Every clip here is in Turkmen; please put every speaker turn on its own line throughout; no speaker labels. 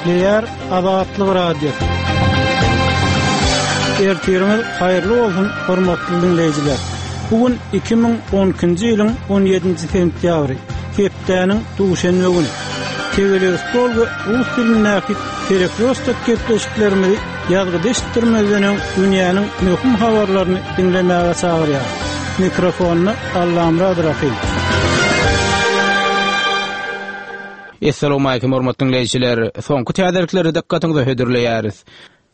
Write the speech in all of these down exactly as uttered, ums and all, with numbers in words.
Gepleýär Azatlyk Radiosy. Ertiriňiz haýyrly bolsun, hormatly dinleýjiler. Bu gün iki müň on ikinji ýylyň on ýedinji sentýabry, hepdäniň duşenbe güni. Tegelek stol we rus dilindäki Perekrostok gepleşiklerimizi ýazgyda eşitdirmezden öň dünýäniň möhüm habarlaryny diňlemäge çagyrýar. Mikrofonda Allamyrat Rahim.
Essalamu alaykum hormatly dinleýjiler. Soňky täzelikleri dykgatyňyza hödürleýäris.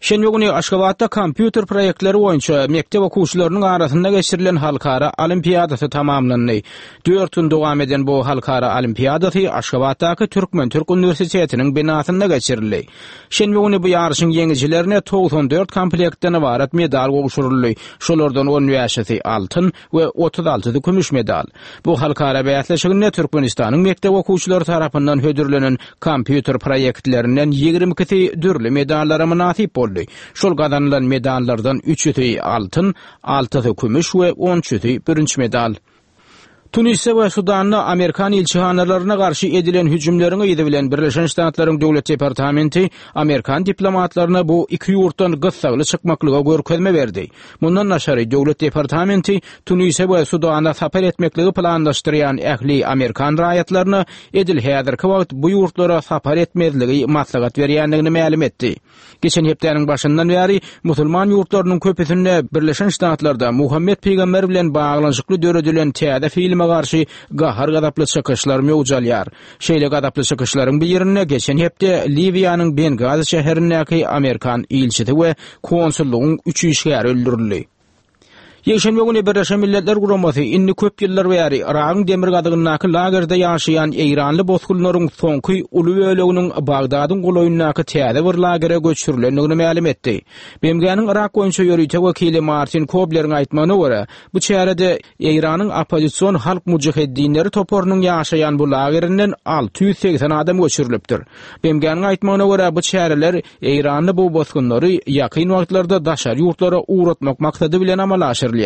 Şenbe güni Aşgabatda kompýuter proýektleri boýunça mekdep okuwçylarynyň arasynda geçirilen halkara olimpiadasy tamamlandy. Dört gün dowam eden bu halkara olimpiadasy Aşgabatdaky Türkmen-Türk uniwersitetiniň binasynda geçirildi. Şenbe güni bu ýaryşyň ýeňijilerine togsan dört komplektden ybarat medal gowşuryldy. Şolardan on bäşisi altyn we otuz altysy kümüş medal. Bu halkara bäsleşiginde Türkmenistanyň mekdep okuwçylary tarapyndan hödürlenen kompýuter proýektlerinden ýigrimi ikisi dürli medallara mynasyp boldy. Şol gazanylan medallardan üçüsi altyn, altysy kümüş we on üçüsi bürünç medal. Tunisde we Sudanda Amerikan ilçihanalaryna garşy edilen hüjümleriň yzy bilen Birleşen Ştatlaryň Döwlet Departamenti Amerikan diplomatlaryna bu iki ýurtdan gyssagly çykmaklyga görkezme berdi. Mundan daşary Döwlet Departamenti Tunise we Sudana sapar etmekligi planlaşdyrýan ähli Amerikan raýatlaryna edil häzirki wagt bu ýurtlara sapar etmezligi maslahat berýändigini mälim etdi. Geçen hepdäniň başyndan bäri musulman ýurtlarynyň köpüsinde Birleşen Ştatlarda Muhammed Peygamber bilen baglanyşykly döredilen täze filme garşy gahar-gazaply çykyşlar möwç alýar. Şeýle gazaply çykyşlaryň birinde geçen hepde Liwiýanyň Bengazi şäherindäki Amerikan ilçisi we konsullygyň üç işgäri öldürildi. Ýekşenbe güni Birleşen Milletler Guramasy indi köp ýyllar bäri Yragyň demirgazygyndaky lagerde ýaşaýan Eýranly bosgunlaryň soňky uly böleginiň Bagdadyň golaýyndaky täze bir lagere göçürilendigini mälim etdi. B M G-niň Yrak boýunça ýörite wekili Martin Kobleriň aýtmagyna görä, bu çärede Eýranyň oppozision halk mujaheddinleri toparynyň ýaşaýan bu lagerinden alty ýüz segsen adam göçürilipdir. B M G-niň aýtmagyna görä, bu çäreler Eýranly bu bosgunlary ýakyn wagtlarda daşary ýurtlara ugratmak maksady bilen amala aşyrylýar.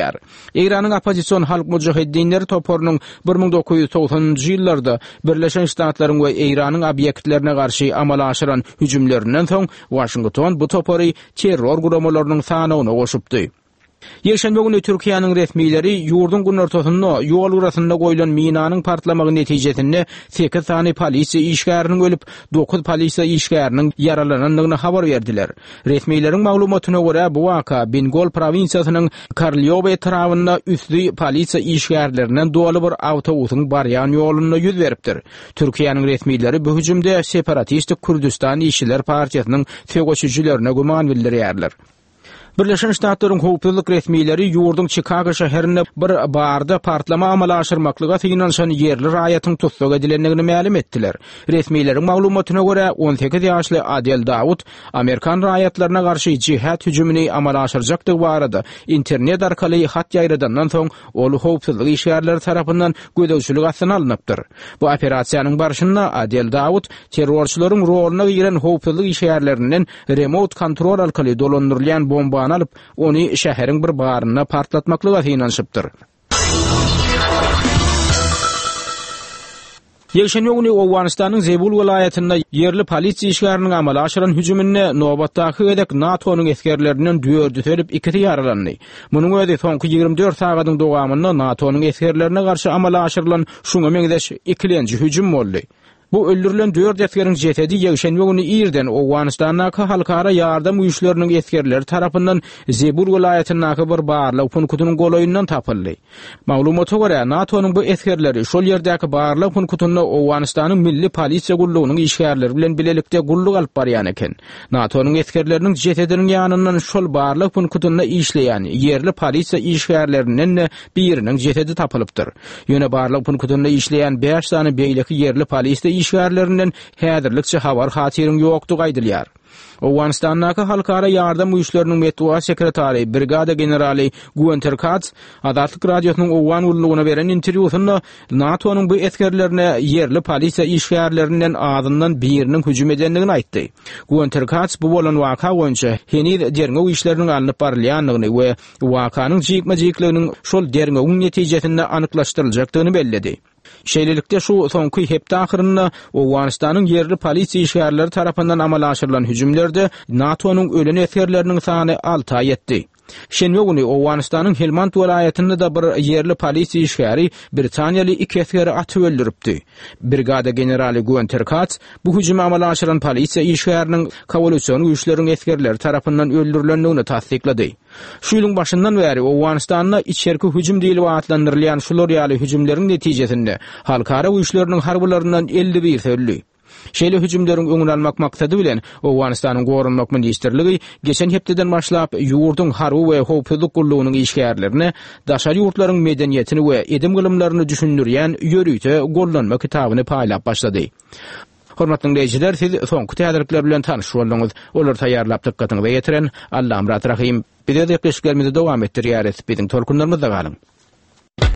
Eýranyň oppozision halk mujaheddinleri toparynyň bir müň dokuz ýüz togsanynjy ýyllarda Birleşen Ştatlaryň we Eýranyň obýektlerine garşy amala aşyran hüjümlerinden soň Washington bu topary terror guramalarynyň sanawyna goşupdy. Ýekşenbe güni Türkiýäniň resmileri ýurduň günortasynda ýol gyrasynda goýlan minanyň partlamagy netijesinde sekiz sany polisiýa işgäriniň ölüp, dokuz polisiýa işgäriniň ýaralanandygyny habar berdiler. Resmileriň maglumatyna görä, bu waka Bingol prowinsiýasynyň Karlioba etrabynda üstli polisiýa işgärlerinden doly bir awtobusyň barýan ýolunda ýüz beripdir. Türkiýäniň resmileri bu hüjümde separatistik Kürdistan İşçiler Partiýasynyň söweşijilerine güman bildirýärler. Birleşen Ştatlaryň howpsuzlyk resmileri ýurduň Chicago şäherinde bir barda partlama amala aşyrmaklyga synanyşan ýerli raýatyň tussag edilendigini mälim etdiler. Resmileriň maglumatyna görä, on sekiz ýaşly Adel Dawud Amerikan raýatlaryna garşy jihad hüjümini amala aşyrjakdygy barada internet arkaly hat ýaýradandan soň ol howpsuzlyk işgärleri tarapyndan gözegçilik astyna alnypdyr. Bu operasiýanyň barşynda Adel Dawud terrorçylaryň roluna giren howpsuzlyk işgärlerinden remote kontrol arkaly dolandyrylýan bombany alyp, ony şäheriň bir barynda partlatmaklyga synanyşypdyr. Ýekşenbe güni Owganystanyň Zebul welaýatynda ýerli polisiýa işgäriniň amala aşyran hüjüminde nobatdaky gezek NATO-nyň esgerlerinden dördüsi ölüp, ikisi ýaralandy. Munuň özi soňky ýigrimi dört sagadyň dowamynda NATO-nyň esgerlerine garşy amala aşyrylan şuňa meňzeş ikilenji hüjüm boldy. Bu öldürilen dört esgeriň jesedi ýekşenbe güni irden Owganystandaky halkara ýardam güýçleriniň esgerleri tarapyndan Zebul welaýatyndaky bir barlag punkutynyň golaýyndan tapyldy. Maglumata görä, NATO-nyň bu esgerleri şol ýerdäki barlag punkutynda Owganystanyň Milli Polisiýa gullugynyň işgärleri bilen bilelikde gulluk alyp barýan eken. NATO-nyň esgerleriniň jesediniň ýanyndan şol barlag punkutynda işleýän ýerli polisiýa işgärlerinden-de biriniň jesedi tapylypdyr. Ýöne barlag punkutynda işleýän bäş sany beýleki ýerli polisiýa işgärlerinden häzirlikçe habar hatyryň ýokdugy aýdylýar. Owganystandaky halkara ýardam güýçleriniň metbugat sekretary brigada generaly Guenter Katz Azatlyk Radiosynyň Owgan gullugyna beren interwýusynda NATO-nyň bu esgerlerine ýerli polisiýa işgärlerinden azyndan biriniň hüjüm edendigini aýtdy. Guenter Katz bu bolan waka boýunça heniz derňew işleriniň alnyp barylýandygyny we wakanyň jikme-jikliginiň şol derňewiň netijesinde anyklaşdyryljakdygyny belledi. Şeýlelikde, şu soňky hepde ahyrynda Owganystanyň ýerli polisiýa işgärleri tarapyndan amala aşyrylan hüjümlerde NATO-nyň ölen esgerleriniň sany alta ýetdi. Şenbe güni Owganystanyň Helmand welaýatynda-da bir ýerli polisiýa işgäri britaniýaly iki esgeri atyp öldüripdi. Brigada generaly Günter Kats bu hüjümi amala aşyran polisiýa işgäriniň koalision güýçleriň esgerleri tarapyndan öldürilendigini tassyklady. Şu ýylyň başyndan bäri Owganystanda içerki hüjüm diýlip atlandyrylýan şular ýaly hüjümleriň netijesinde halkara güýçleriniň harbylaryndan elli birisi öldi. Şeýle hüjümleriň öňüni almak maksady bilen Owganystanyň Goranmak ministrligi geçen hepdeden başlap ýurduň harby we howpsuzlyk gullugynyň işgärlerine daşary ýurtlaryň medeniýetini we edim-gylymlaryny düşündirýän ýörite gollanma kitabyny paýlap başlady. Hormatly diňleýjiler, siz soňky täzelikler bilen tanyş bolduňyz. Olary taýýarlap dykgatyňyza ýetiren Allamyrat Rahym. Biz öz gepleşiklerimizi dowam etdirýäris. Biziň tolkunlarymyzda galyň.